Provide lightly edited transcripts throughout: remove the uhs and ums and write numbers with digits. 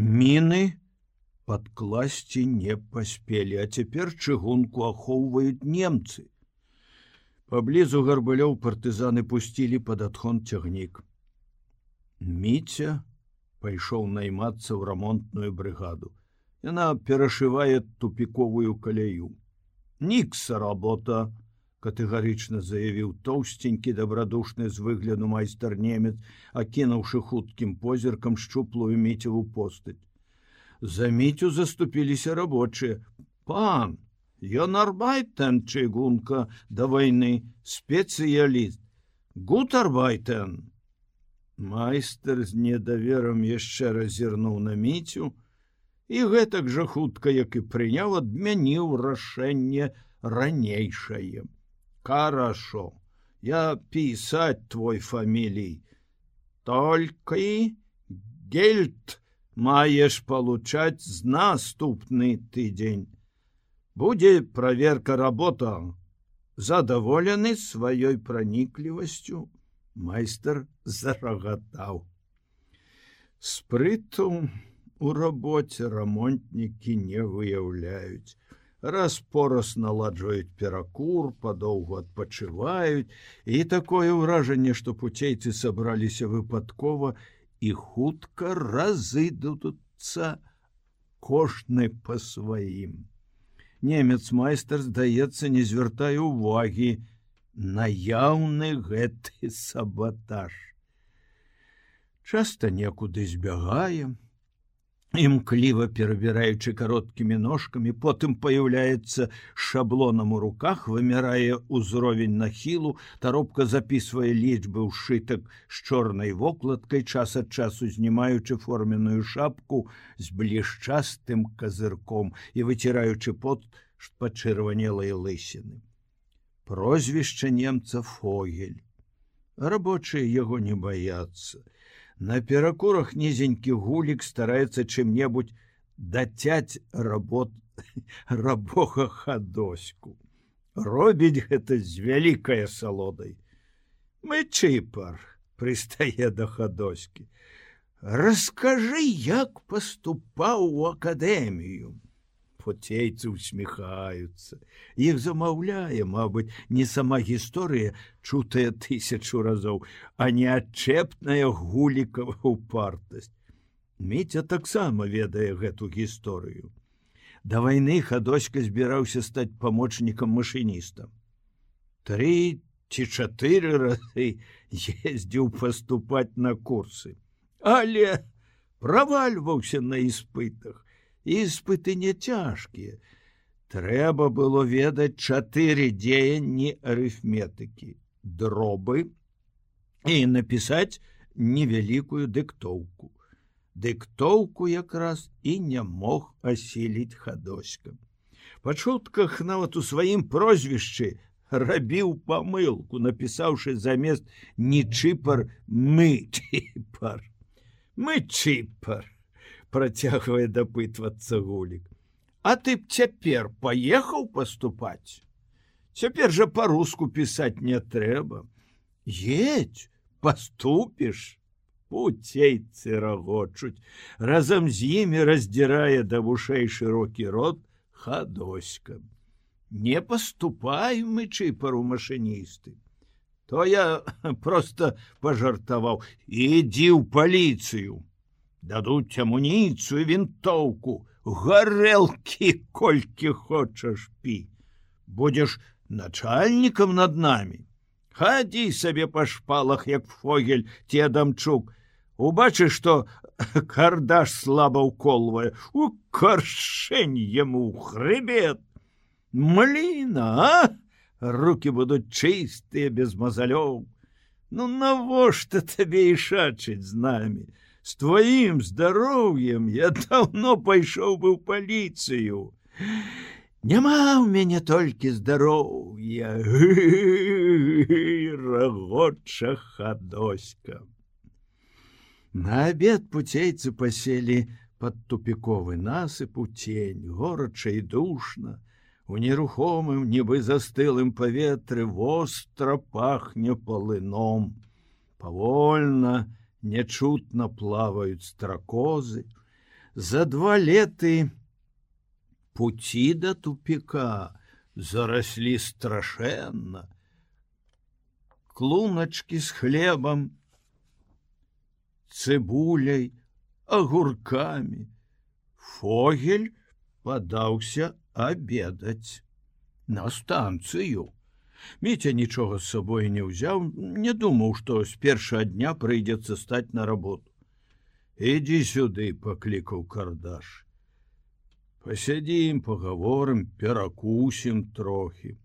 Міны падкласці не паспелі, а цяпер чыгунку ахоўваюць немцы. Паблізу Гарбалёў партызаны пусцілі пад адхон цягнік. Міця пайшоў наймацца ў рамонтную брыгаду. Яна перашывае тупіковую каляю. «Нікса работа», — катэгарычна заявіў тоўсценькі, дабрадушны з выгляду майстар-немец, акінуўшы хуткім позіркам шчуплую Міцеву постаць. За Мітю заступіліся рабочыя. «Пан, ён арбайтен чыгунка да вайны, спецыяліст. Гут арбайтен». Майстар з недаверам яшчэ раз зірнуў на Міцю і гэтак жа хутка, як і прыняў, адмяніў рашэнне ранейшае. «Хорошо, я писать твой фамилий. Только гельд маешь получать з наступны тыдзень. Будзе проверка работа». Задоволены сваёй праніклівасцю, майстар зарагатаў. Спрыту у рабоце рамонтнікі не выяўляюць. Раз-пораз наладжваюць перакур, падоўгу адпачываюць, і такое ўражанне, што пуцейцы сабраліся выпадкова і хутка разыдуцца кожны па сваім. Немец-майстар, здаецца, не звяртае ўвагі на яўны гэты сабатаж. Часта некуды збягае, імкліва перабіраючы кароткімі ножкамі, потым паяўляецца шаблонам у руках, вымярае ўзровень нахілу, таропка запісвае лічбы ў сшытак з чорнай вокладкай, час ад часу знімаючы форменную шапку з блішчастым казырком і выціраючы пот пачырванелай лысіны. Прозвішча немца Фогель. Рабочыя яго не баяцца. На перакурах нізенькі гулік стараецца чым-небудзь дацяць рабога хадоську. Робіць гэта з вялікай асалодай. «Мы чыпар», — прыстае да хадоські. «Раскажы, як паступаў у акадэмію». Пуцейцы усміхаюцца. Іх замаўляе, мабыць, не сама гісторыя, чутая 1000 разоў, а не адчэпная гулікава ўпартасць. Міця таксама ведае гэту гісторыю. Да вайны хадоська збіраўся стаць памочнікам машыніста. 3 ці 4 разы ездзіў паступаць на курсы, але правальваўся на іспытах. Іспыты не цяжкія. Трэба было ведаць 4 дзеянні арыфметыкі, дробы і напісаць невялікую дыктоўку. Дыктоўку якраз і не мог асіліць хадоська. Па чутках нават у сваім прозвішчы рабіў памылку, напісаўшы замест «не чыпар» «мы чыпар». «Мы чыпар», працягвае дапытвацца гулік. «А ты б цяпер паехаў паступаць? Цяпер жа па-руску пісаць не трэба. Едзь, паступіш». Пуцейцы рагочуць. Разам з імі раздзірае да вушэй шырокі рот хадоська. «Не паступай, мы чыпару машыністы». То я проста пажартаваў. «Ідзі ў паліцыю. Дадуць амуніцыю, вінтоўку, гарэлкі колькі хочаш пі. Будзеш начальнікам над намі. Хадзі сабе па шпалах, як Фогель ці Адамчук. Убачыш, што кардаш слаба ўколвае, у каршэнь яму ў хрыбет. Мліна, а? Рукі будуць чыстыя, без мазалёў. Ну навошта табе ішачыць з намі? З тваім здароўем я даўно пайшоў бы ў паліцыю. Няма ў мяне толькі здароўя». Рагоча хадоська. На абед пуцейцы паселі пад тупіковы насып у цень, горача і душна. У нерухомым, нібы застылым паветры востра пахне палыном. Павольна, нячутна плаваюць стракозы. За 2 леты пути до тупика заросли страшэнна. Клуначки з хлебам, цыбуляй, огуркамі. Фогель падаўся абедаць на станцыю. Міця нічога з сабой не ўзяў, не думаў, што з першага дня прыйдзецца стаць на работу. «Ідзі сюды», — паклікаў Кардаш. «Пасядзім, пагаворым, перакусім трохі».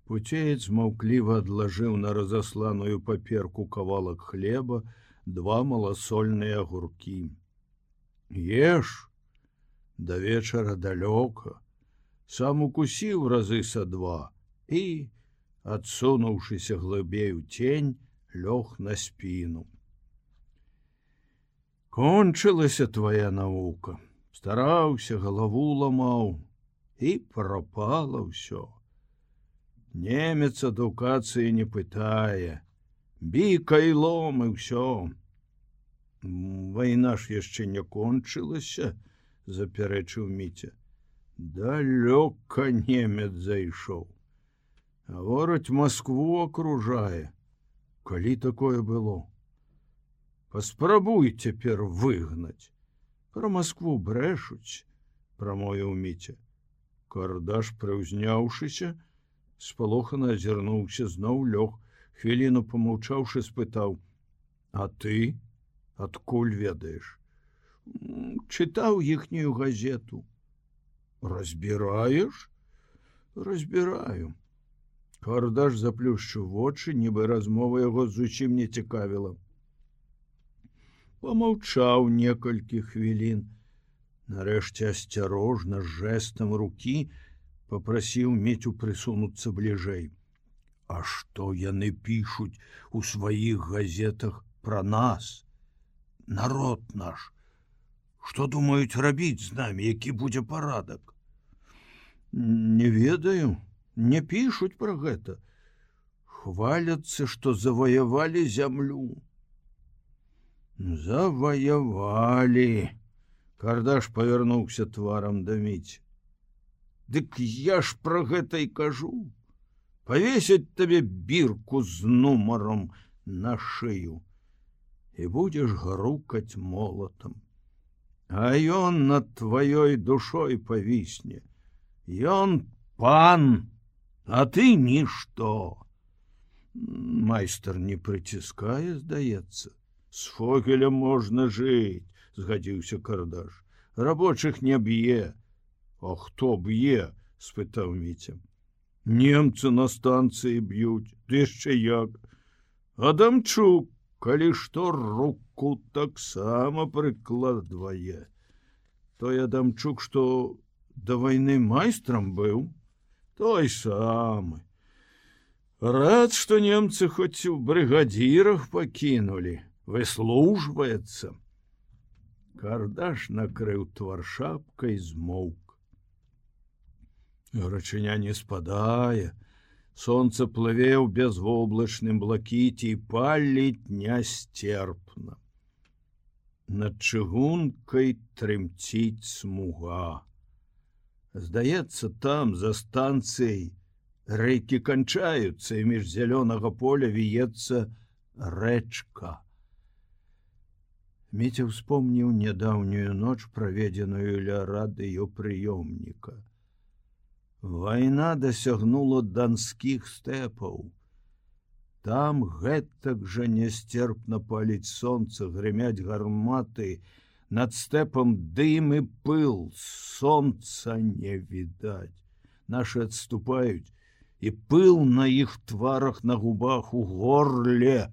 Пуцеец маўкліва адлажыў на разасланую паперку кавалак хлеба, 2 маласольныя агуркі. «Еш, да вечара далёка». Сам укусіў разы са 2 і, адсунуўшыся глыбей у цень, лёг на спіну. «Кончылася твая навука. Стараўся, галаву ламаў, і прапала ўсё. Немец адукацыі не пытае, біка і лом і ўсё». «Вайна ж яшчэ не кончылася», — запярэчыў Міця. «Далёка немец зайшоў. Гавораць, Маскву акружае. Калі такое было? Паспрабуй цяпер выгнаць». «Пра Маскву брэшуць», — прамовіў Міця. Кардаш, прыўзняўшыся, спалохана азірнуўся, зноў лёг, хвіліну памаўчаўшы, спытаў: «А ты адкуль ведаеш?» «Чытаў іхнюю газету». «Разбіраеш?» «Разбіраю». Кардаш заплюшчыў вочы, нібы размова яго зусім не цікавіла. Памаўчаў некалькі хвілін. Нарэшце асцярожна, з жэстам рукі папрасіў Міцю прысунуцца бліжэй. «А што яны пішуць у сваіх газетах пра нас? Народ наш. Што думаюць рабіць з намі, які будзе парадак?» «Не ведаю, не пішуць пра гэта. Хваляцца, што заваявалі зямлю». «Заваявалі». Кардаш павярнуўся тварам да Міці. «Дык я ж пра гэта і кажу. Павесяць табе бірку з нумаром на шыю і будзеш грукаць молатам. А ён над тваёй душой павісне. Ён пан, а ты нішто». «Майстар не прыціскае, здаецца. З Фогелем можна жыць», — згадзіўся Кардаш. «Рабочых не б'е». «А хто б'е?» — спытаў Міця. «Немцы на станцыі б'юць, ды яшчэ як. Адамчук, калі што, руку таксама прыкладвае. Той Адамчук, што да вайны майстрам быў, той самы. Рад, што немцы хоць у брыгадзірах пакінулі, выслужваецца». Кардаш накрыў твар шапкай, змоўк. Гарачыня не спадае, сонца плыве ў бязвоблачным блакіце і паліць нясцерпна. Над чыгункай трымціць смуга. Здаецца, там, за станцыяй, рэйкі канчаюцца, і між зялёнага поля віецца рэчка. Міця ўспомніў нядаўнюю ноч, праведзеную ля радыёпрыёмніка. Вайна дасягнула данскіх стэпаў. Там гэтак жа нясцерпна паліць сонца, грымяць гарматы, над стэпам дым і пыл, сонца не відаць. Нашы адступаюць, і пыл на іх тварах, на губах, у горле.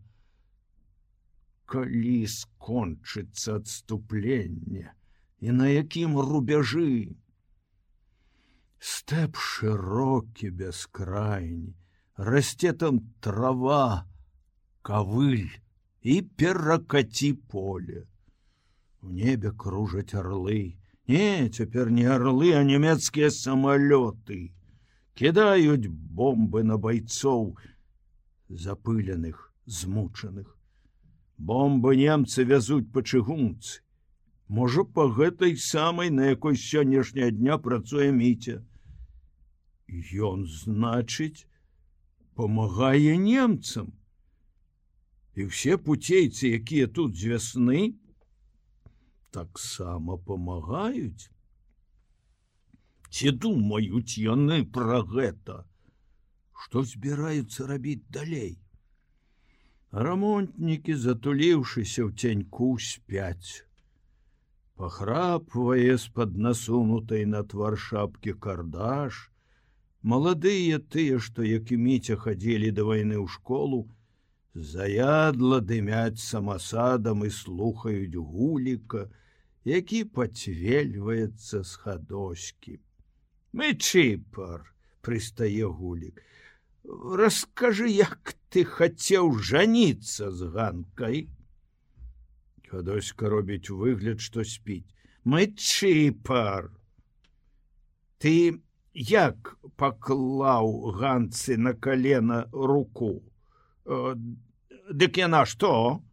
Калі скончыцца адступленне і на якім рубяжы? Стэп шырокі, бяскрайні, расце там трава, кавыль і перакаці поле. У небе кружаць арлы. Не, цяпер не арлы, а нямецкія самалёты. Кідаюць бомбы на байцоў, запыленых, змучаных. Бомбы немцы вязуць па чыгунцы. Можа, па гэтай самай, на якой сённяшняя дня працуе Міця. Ён, значыць, памагае немцам. І ўсе пуцейцы, якія тут з вясны, таксама памагаюць. Ці думаюць яны пра гэта? Што збіраюцца рабіць далей? Рамонтнікі, затуліўшыся ў цяньку, спяць. Пахрапвае з-пад насунутай на твар шапкі Кардаш. Маладыя тыя, што, як і Міця, хадзілі да вайны ў школу, заядла дымяць самасадам і слухаюць Гуліка, які пацвельваецца з хадоські. «Мычыпар», — прыстае Гулік, — «раскажы, як ты хацеў жаніцца з Ганкай?» Хадоська робіць выгляд, што спіць. «Мычыпар, ты як паклаў Ганцы на калена руку? Дык яна што?»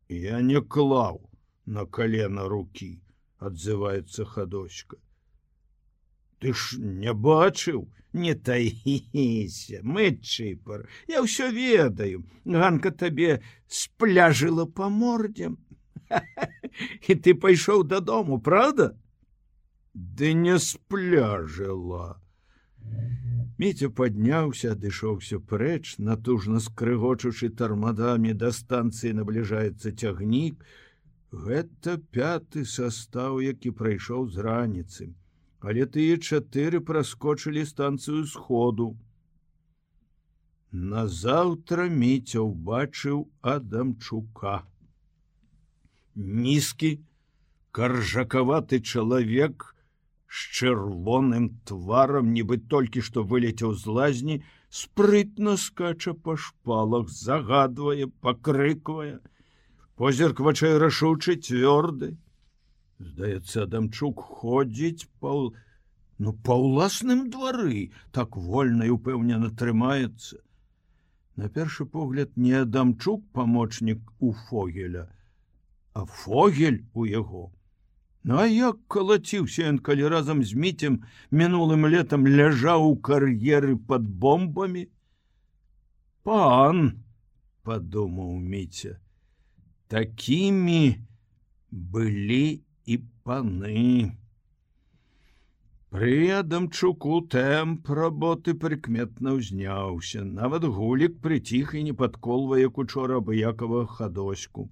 «Я не клаў на калена рукі», — адзываецца Хадоська. «Ты ж не бачыў? Не таіся, Мычыпар, я ўсё ведаю. Ганка табе спляжыла па мордзе. І ты пайшоў дадому, правда?» «Ды не спляжыла». Міця падняўся, адышоўся прэч, натужна скрыгочучы тармадамі, да станцыі набліжаецца цягнік. Гэта 5-ты састаў, які прайшоў з раніцы. Але тыя 4 праскочылі станцыю сходу. Назаўтра Міця ўбачыў Адамчука. Нізкі, каржакаваты чалавек з чырвоным тварам, нібы толькі што вылецеў з лазні, спрытна скача па шпалах, загадвае, пакрыквае. Позірк вачэй рашучы, цвёрды. Здаецца, Адамчук ходзіць па ўласным двары, так вольна і ўпэўнена трымаецца. На першы погляд, не Адамчук памочнік у Фогеля, а Фогель у яго. Ну а як калаціўся ён, калі разам з Міцем мінулым летам ляжаў у кар'еры пад бомбамі? «Пан», — падумаў Міця, — «такімі былі і паны». Пры Адамчуку тэмп работы прыкметна ўзняўся. Нават Гулік прыціх і не падколвае, як учора, абыякавага Хадоську.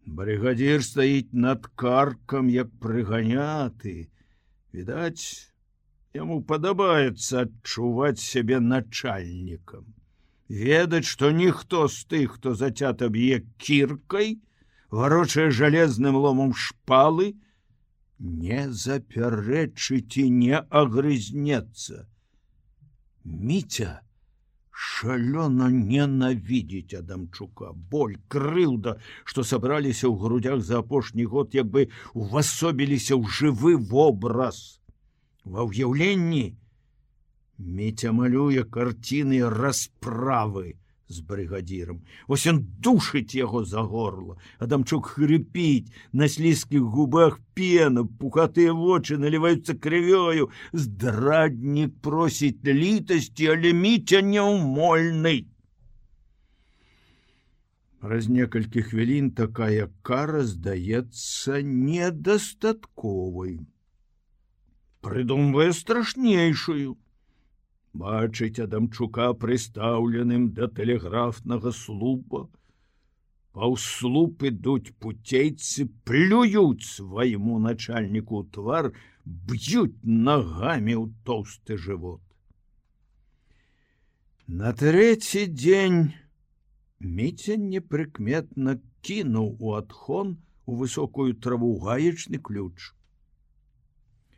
Брыгадзір стаіць над каркам, як прыганяты. Відаць, яму падабаецца адчуваць сябе начальнікам. Ведаць, што ніхто з тых, хто зацята б'е кіркай, варочае жалезным ломам шпалы, не запярэчыць і не агрызнецца. Міця шалёна ненавідзіць Адамчука. Боль, крыўда, што сабраліся ў грудях за апошні год, як бы увасобіліся ў жывы вобраз. Ва ўяўленні Міця малюе карціны расправы з брыгадзірам. Вось ён душыць яго за горла. Адамчук хрыпіць, на слізкіх губах пена, пухатыя вочы наліваюцца крывёю. Здраднік просіць літасці, але Міця няўмольны. Праз некалькі хвілін такая кара здаецца недастатковай. Прыдумвае страшнейшую. Бачыць Адамчука прыстаўленым да тэлеграфнага слупа. Паўз слуп ідуць пуцейцы, плююць свайму начальніку ў твар, б'юць нагамі ў тоўсты жывот. На 3-й дзень Міця непрыкметна кінуў у адхон у высокую траву гаечны ключ.